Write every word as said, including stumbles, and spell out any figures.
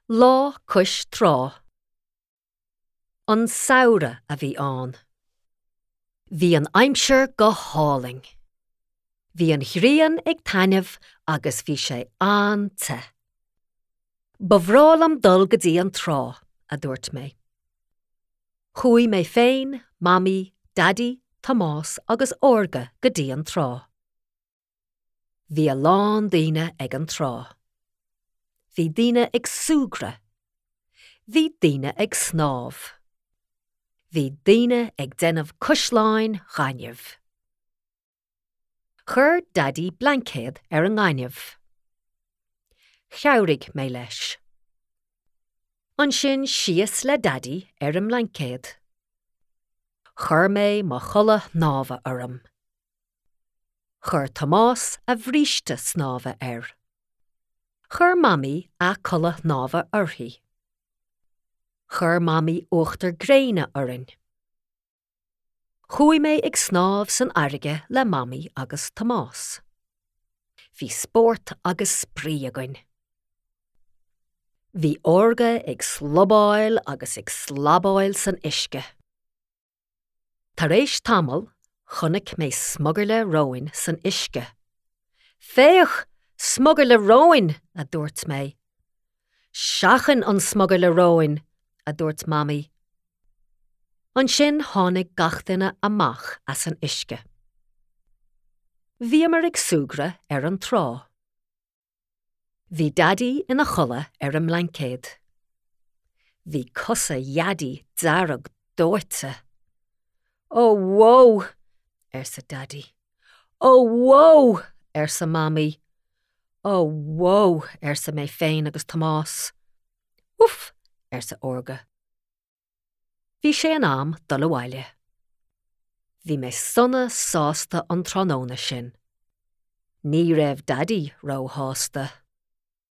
Lá cois trá. An samhradh a bhí ann. Bhí an aimsir go hálainn. Bhí an ghrian ag taitneamh agus bhí sé an-te. Ba bhreá liom dul go dtí an trá, a dúirt mé. Chuaigh mé féin, Mamaí, Daidí, Tomás agus Órga go dtí an trá. Bhí a lán daoine ag an trá. Bhí daoine ag súgradh. Bhí daoine ag snámh. Bhí daoine ag déanamh caisleáin ghainimh. Chuir Daidí blaincéad ar an ngaineamh. Chabhraigh mé leis. Ansin síos le Daidí ar an mblaincéad. Chuir mé mo chulaith shnámha orm. Chuir Tomás a bhríste snámha air. Chuir Mamaí a culaith shnámha uirthi. Chuir Mamaí uachtar gréine orainn. Chuaigh mé ag snámh san fharraige le Mamaí agus Tomás. Bhí spórt agus spraoi againn. Bhí Órga ag slobáil agus ag slabáil san uisce. Tar éis tamaill chonaic mé smugairle róin san uisce. Féach! Smugairle róin, a dúirt mé. Seachain an smugairle róin, a dúirt Mamaí. Ansin tháinig gach duine amach as an uisce. Bhíomar ag súgradh ar an trá. Bhí Daidí ina chodladh ar an mblaincéad. Bhí cosa Dhaidí dearg dóite. Ó whoa, arsa Daidí. Ó whoa, arsa Mamaí. Ó whoa, arsa mé féin agus Tomás. Uf, arsa Órga. Bhí sé in am dul abhaile. Bhí mé sona sásta an tráthnóna sin. Ní raibh Daidí róshásta.